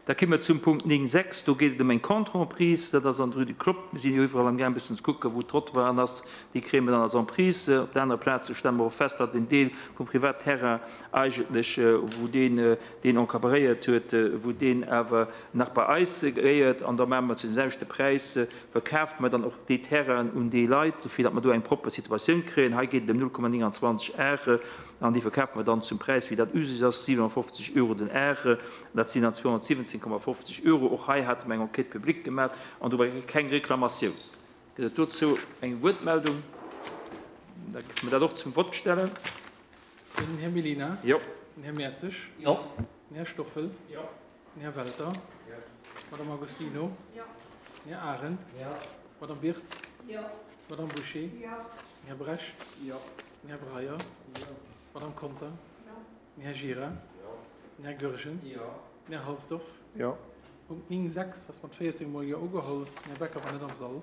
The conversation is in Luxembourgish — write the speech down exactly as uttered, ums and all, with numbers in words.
Da komme mer zum Punkt néng sechs. Do geet et ëm eng Contre-emprise. Dat ass an der Rue du Clopp. Mir sinn jo iwwerall amgaang e bëssen ze kucken, wou Trottoiren ass. Déi kréie mer dann als Emprise. Op der anerer Plaz stelle mer och fest, datt en Deel vum Privatterrain eigentlech, wou deen deen encadréiert huet, wou deen awer nach bei eis gehéiert. An da maache mer zu deem selwechte Präis, verkafe mer dann och déi Terrainen un déi Leit, fir datt mer do eng propper Situatioun kréien. Hei geet et ëm null Komma nénganzwanzeg Are. An déi verkafe mer dann zum Präis, wéi dat usus ass, siwenanfofzeg Euro den Are. Dat sinn dann zweehonnertsiwwenzehn Komma fofzeg Euro. Och hei hate mer eng Enquête publique gemaach an do war keng Reklamatioun. Gëtt et dozou eng Wuertmeldung? Da kënne mer dat och zum Vott stellen. Den Här Mellina. Jo. Den Här Mertzig. Jo. Den Här Stoffel. Jo. Den Här Welter. Jo. D'Madame Agostino. Jo. Den Här Arendt. Jo. D'Madame Birtz. Jo. D'Madame Bouché. Jo. Den Här Brecht. Jo. Den Här Breyer. Jo. D'Madame Conter. Jo. Den Här Gira. Jo. Den Här Goergen. Jo. Den Här Halsdorf. Jo. Punkt néng sechs ass mat véierzéng Mol Jo ugeholl. Den Här Becker war net am Sall.